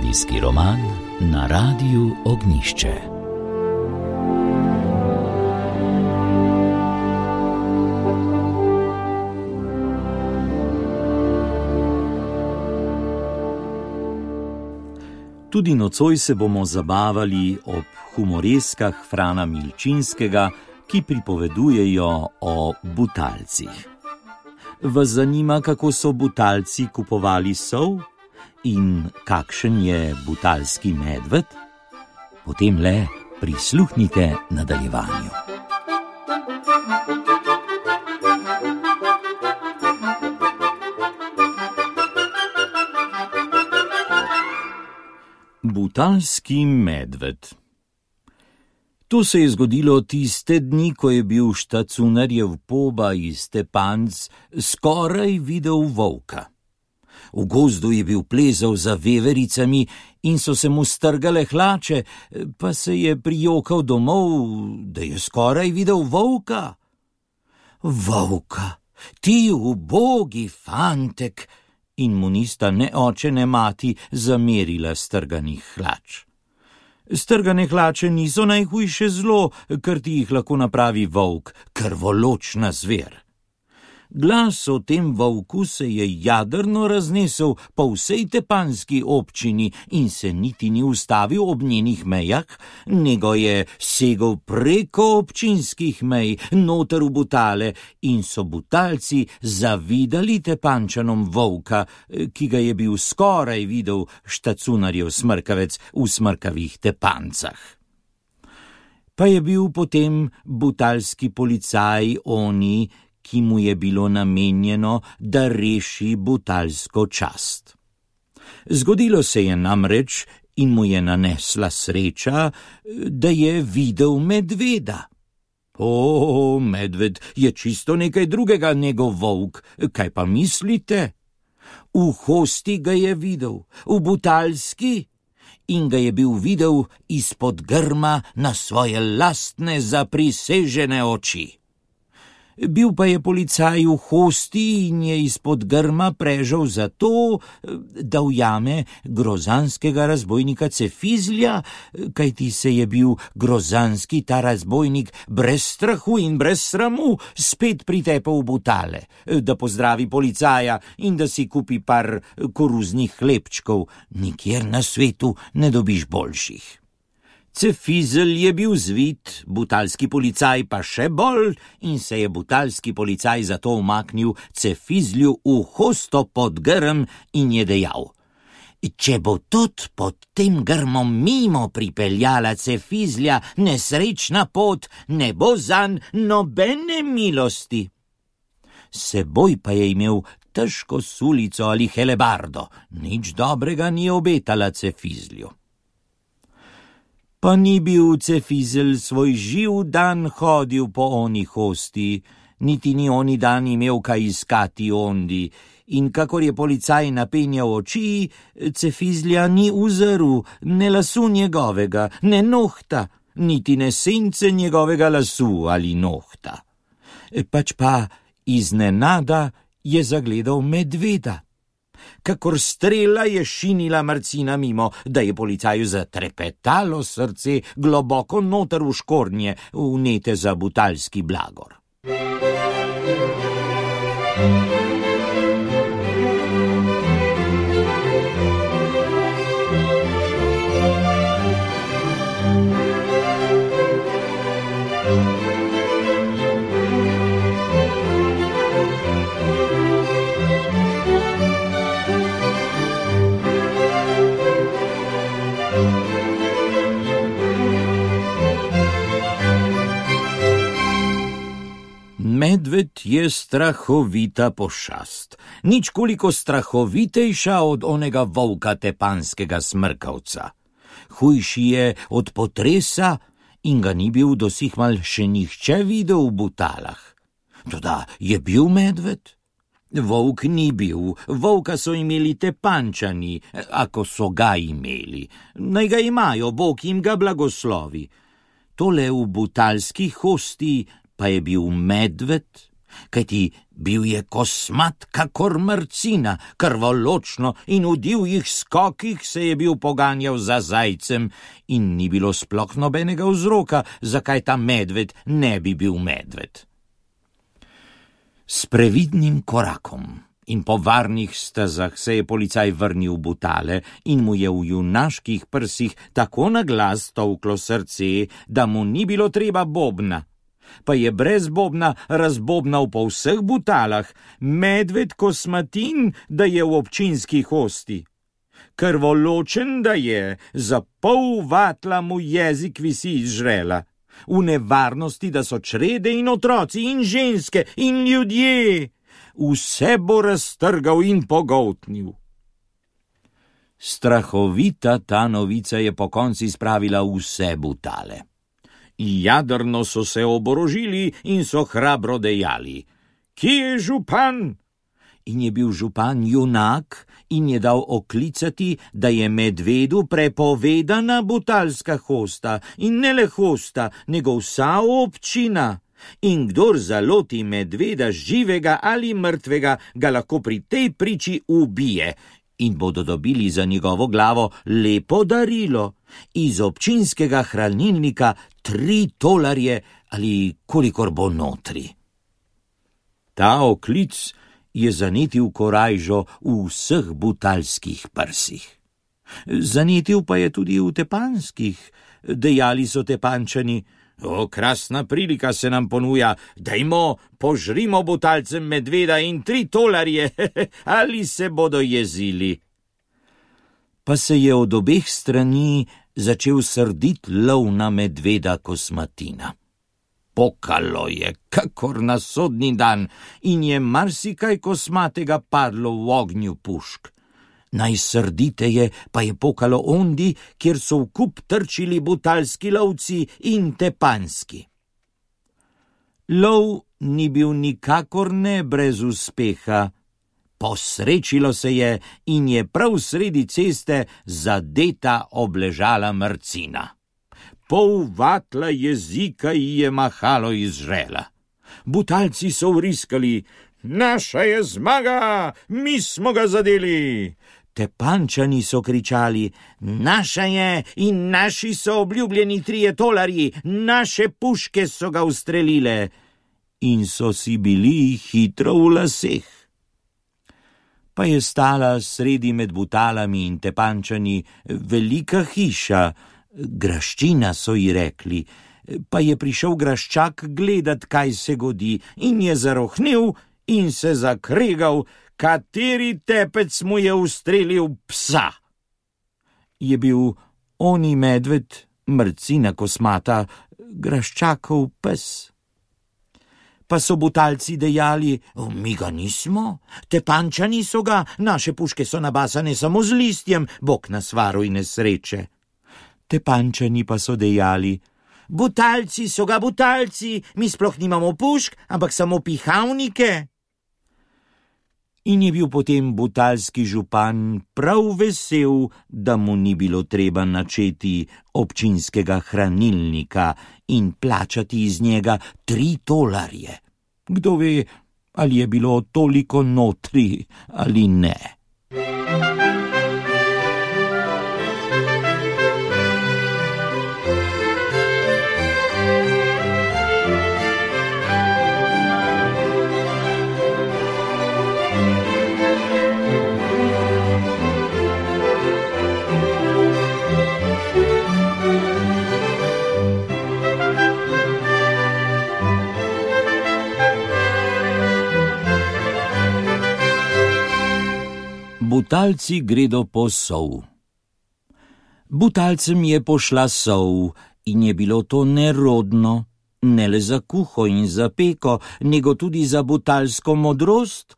Radijski roman na Radiu Ognjišče. Tudi nocoj se bomo zabavali ob humoreskah Frana Milčinskega, ki pripovedujejo o butalcih. Vas zanima, kako so butalci kupovali sol in kakšen je butalski medved? Potem le prisluhnite nadaljevanju. Butalski medved. To se je zgodilo tiste dni, ko je bil štacunarjev poba iz Tepanc skoraj videl volka. V gozdu je bil plezal za vevericami in so se mu strgale hlače, pa se je prijokal domov, da je skoraj videl volka. Volka, ti ubogi fantek! In mu nista ne oče ne mati zamerila strganih hlač. Strgane hlače niso najhujše zlo, ker ti jih lahko napravi volk, krvoločna zver. Glas o tem volku se je jadrno raznesel po vsej tepanski občini in se niti ni ustavil ob njenih mejah, nego je segel preko občinskih mej, noter v Butale, in so butalci zavidali Tepančanom volka, ki ga je bil skoraj videl štacunarjev smrkavec v smrkavih Tepancah. Pa je bil potem butalski policaj oni, ki mu je bilo namenjeno, da reši butalsko čast. Zgodilo se je namreč in mu je nanesla sreča, da je videl medveda. O, medved je čisto nekaj drugega, njegov volk, kaj pa mislite? V Hosti ga je videl, v butalski, in ga je bil videl izpod grma na svoje lastne zaprisežene oči. Bil pa je policaj v Hosti in je izpod grma prežal zato, da ujame grozanskega razbojnika Cefizlja, kajti se je bil grozanski ta razbojnik brez strahu in brez sramu spet pritepal v Butale, da pozdravi policaja in da si kupi par koruznih hlebčkov, nikjer na svetu ne dobiš boljših. Cefizel je bil zvit, butalski policaj pa še bolj, in se je butalski policaj zato umaknil Cefizlju v Hosto pod grm in je dejal: če bo tudi pod tem grmom mimo pripeljala Cefizlja nesrečna pot, ne bo zanj nobene milosti. Seboj pa je imel težko sulico ali helebardo, nič dobrega ni obetala Cefizlju. Pa ni bil Cefizel svoj živ dan hodil po oni Hosti, niti ni oni dan imel kaj iskati ondi, in kakor je policaj napenjal oči, Cefizlja ni uzrl ne lasu njegovega, ne nohta, niti ne sence njegovega lasu ali nohta. Pač pa iznenada je zagledal medveda. Kakor strela je šinila Marcina mimo, da je policaju zatrepetalo srce globoko noter v škornje, vnete za butalski blagor. Medved je strahovita pošast, nič koliko strahovitejša od onega volka tepanskega smrkavca. Hujši je od potresa in ga ni bil dosihmal še nihče videl v Butalah. Toda je bil medved? Volk ni bil, volka so imeli Tepančani, ako so ga imeli. Naj ga imajo, Bog jim ga blagoslovi. Tole v butalski Hosti pa je bil medved, kajti bil je kosmat kakor mrcina, krvoločno in v divjih skokih se je bil poganjal za zajcem in ni bilo sploh nobenega vzroka, zakaj ta medved ne bi bil medved. S previdnim korakom in po varnih stezah se je policaj vrnil v Butale in mu je v junaških prsih tako na glas tolklo srce, da mu ni bilo treba bobna. Pa je brez bobna razbobnal po vseh Butalah, medved kosmatin, da je v občinski hosti. Krvoločen, da je, za pol vatla mu jezik visi iz žrela. V nevarnosti, da so črede in otroci in ženske in ljudje. Vse bo raztrgal in pogoltnil. Strahovita ta novica je po konci spravila vse Butale. Jadrno so se oborožili in so hrabro dejali: "Kje je župan?" In je bil župan junak in je dal oklicati, da je medvedu prepovedana butalska hosta in ne le hosta, nego vsa občina. In kdor zaloti medveda živega ali mrtvega, ga lahko pri tej priči ubije in bodo dobili za njegovo glavo lepo darilo, iz občinskega hranilnika 3 tolarje ali kolikor bo notri. Ta oklic je zanetil korajžo v vseh butalskih prsih. Zanetil pa je tudi v tepanskih. Dejali so Tepančani: "O, krasna prilika se nam ponuja, dajmo, požrimo Butalcem medveda in 3 tolarje, ali se bodo jezili." Pa se je od obeh strani začel srdit lov na medveda kosmatina. Pokalo je, kakor na sodni dan, in je marsikaj kosmatega padlo v ognju pušk. Najsrditeje pa je pokalo ondi, kjer so v kup trčili butalski lovci in tepanski. Lov ni bil nikakor ne brez uspeha. Posrečilo se je in je prav sredi ceste zadeta obležala mrcina. Pol vatla jezika ji je mahalo iz žrela. Butalci so vriskali: "Naša je zmaga, mi smo ga zadeli!" Tepančani so kričali: "Naša je in naši so obljubljeni 3 tolarji, naše puške so ga ustrelile." In so si bili hitro v laseh. Pa je stala sredi med Butalami in Tepančani velika hiša, graščina so ji rekli, pa je prišel graščak gledat, kaj se godi, in je zarohnel in se zakregal, kateri tepec mu je ustrelil psa. Je bil oni medved, mrcina kosmata, graščakov pes. Pa so Butalci dejali: "Mi ga nismo, Tepančani so ga, naše puške so nabasane samo z listjem, Bog nas varuj nesreče." Tepančani pa so dejali: "Butalci so ga, Butalci, mi sploh nimamo pušk, ampak samo pihavnike." In je bil potem butalski župan prav vesel, da mu ni bilo treba načeti občinskega hranilnika in plačati iz njega 3 tolarje. Kdo ve, ali je bilo toliko notri ali ne. Butalci gredo po sol. Butalcem je pošla sol in je bilo to nerodno, ne le za kuho in za peko, nego tudi za butalsko modrost,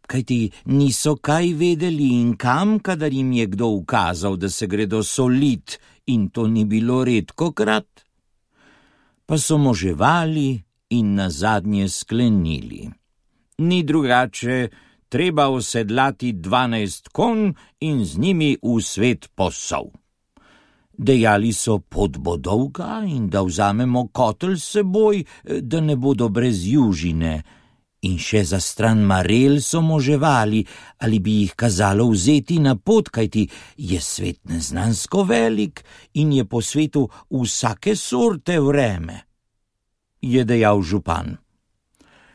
kajti niso kaj vedeli in kam, kadar jim je kdo ukazal, da se gredo solit, in to ni bilo redkokrat. Pa so moževali in nazadnje sklenili: "Ni drugače, treba osedlati 12 konj in z njimi v svet posol." Dejali so: "Pot bo dolga in da vzamemo kotel s seboj, da ne bodo brez južine." In še za stran marel so moževali, ali bi jih kazalo vzeti na pot, kajti je svet neznansko velik in je po svetu vsake sorte vreme, je dejal župan.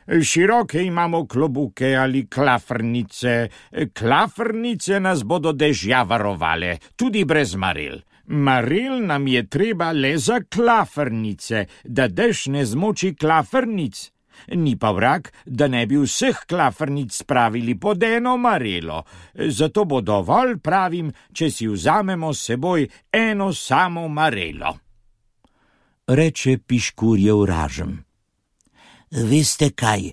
Široke imamo klobuke ali klafrnice. Klafrnice nas bodo dežja varovale, tudi brez marel. Marel nam je treba le za klafrnice, da dež ne zmoči klafrnic. Ni pa vrag, da ne bi vseh klafrnic spravili pod eno marelo. Zato bo dovolj, pravim, če si vzamemo s seboj eno samo marelo. Reče Piškurjev ražem. Veste kaj,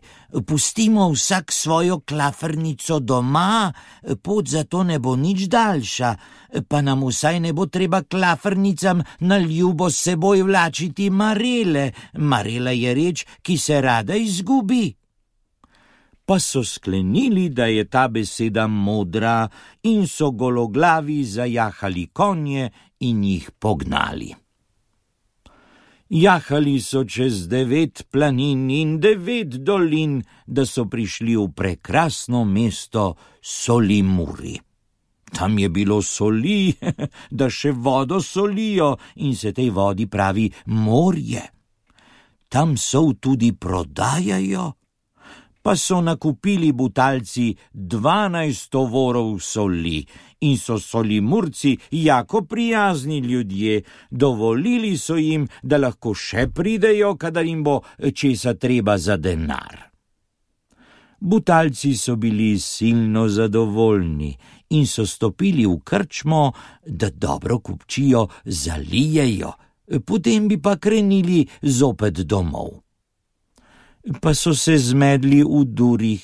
pustimo vsak svojo klafrnico doma, pot zato ne bo nič daljša, pa nam vsaj ne bo treba klafrnicam na ljubo s seboj vlačiti marele. Marela je reč, ki se rada izgubi. Pa so sklenili, da je ta beseda modra, in so gologlavi zajahali konje in jih pognali. Jahali so čez 9 planin in 9 dolin, da so prišli v prekrasno mesto Solimuri. Tam je bilo soli, da še vodo solijo in se tej vodi pravi morje. Tam sol tudi prodajajo. Pa so nakupili Butalci 12 tovorov soli in so Solimurci jako prijazni ljudje, dovolili so jim, da lahko še pridejo, kadar jim bo česa treba za denar. Butalci so bili silno zadovoljni in so stopili v krčmo, da dobro kupčijo zalijejo, potem bi pa krenili zopet domov. Pa so se zmedli v durih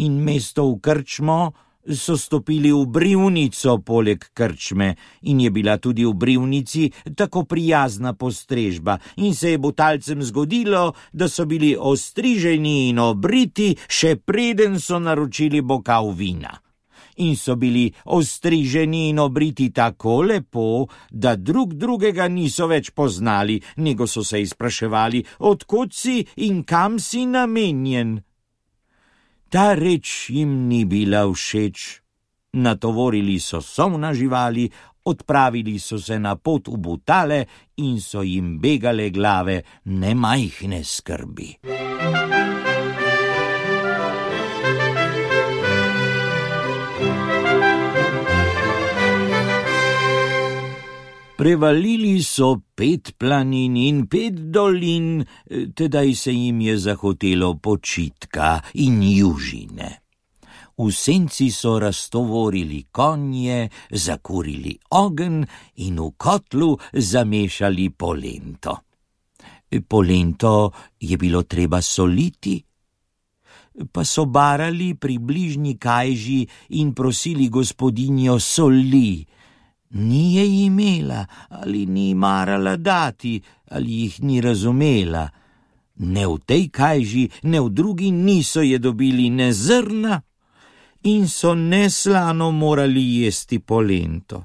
in mesto v krčmo so stopili v brivnico poleg krčme in je bila tudi v brivnici tako prijazna postrežba in se je Butalcem zgodilo, da so bili ostriženi in obriti, še preden so naročili bokal vina. In so bili ostriženi in obriti tako lepo, da drug drugega niso več poznali, nego so se izpraševali, odkot si in kam si namenjen. Ta reč jim ni bila všeč. Natovorili so sol na živali, odpravili so se na pot v Butale in so jim begale glave nemajhne skrbi. Prevalili so 5 planin in 5 dolin, tedaj se jim je zahotelo počitka in južine. V senci so raztovorili konje, zakurili ogenj in v kotlu zamešali polento. Polento je bilo treba soliti, pa so barali pri bližnji kajži in prosili gospodinjo soli. Ni je imela, ali ni marala dati, ali jih ni razumela. Ne v tej kajži, ne v drugi niso je dobili ne zrna in so neslano morali jesti polento.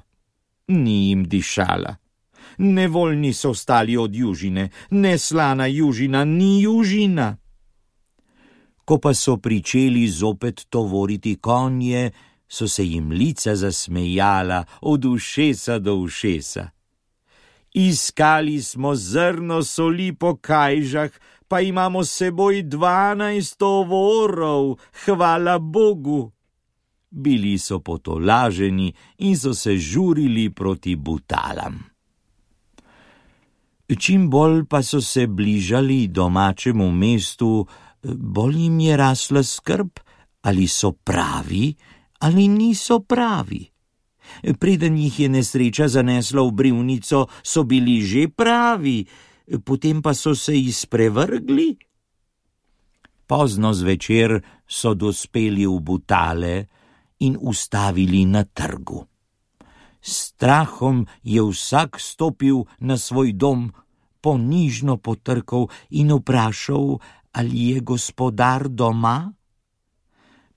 Ni jim dišala. Nevoljni so ostali od južine, neslana južina ni južina. Ko pa so pričeli zopet tovoriti konje, so se jim lica zasmejala od ušesa do ušesa. Iskali smo zrno soli po kajžah, pa imamo s seboj 12 tovorov, hvala Bogu. Bili so potolaženi in so se žurili proti Butalam. Čim bolj pa so se bližali domačemu mestu, bolj jim je rasla skrb, ali so pravi, ali niso pravi. Preden jih je nesreča zanesla v brivnico, so bili že pravi, potem pa so se izprevrgli. Pozno zvečer so dospeli v Butale in ustavili na trgu. Strahom je vsak stopil na svoj dom, ponižno potrkal in vprašal, ali je gospodar doma.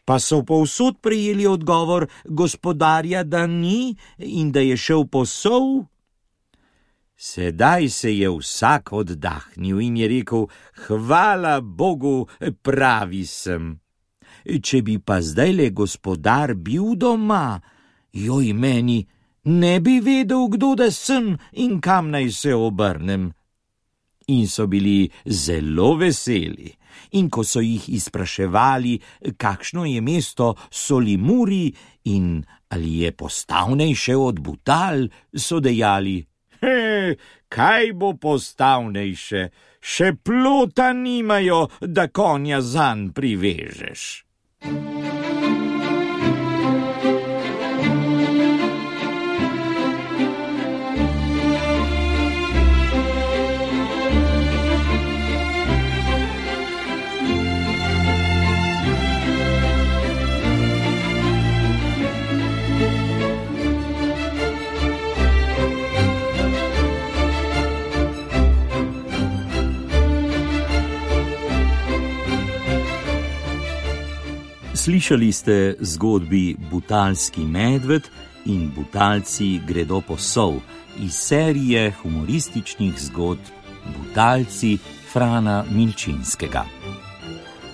Pa so povsod prejeli odgovor gospodarja, da ni in da je šel po sol. Sedaj se je vsak oddahnil in je rekel: hvala Bogu, pravi sem. Če bi pa zdajle gospodar bil doma, joj meni, ne bi vedel, kdo da sem in kam naj se obrnem. In so bili zelo veseli. In ko so jih izpraševali, kakšno je mesto Solimuri in ali je postavnejše od Butal, so dejali: kaj bo postavnejše, še plota nimajo, da konja zanj privežeš. Slišali ste zgodbi Butalski medved in Butalci gredo po sol iz serije humorističnih zgodb Butalci Frana Milčinskega.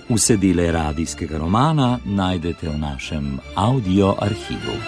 Vse dele radijskega romana najdete v našem audio arhivu.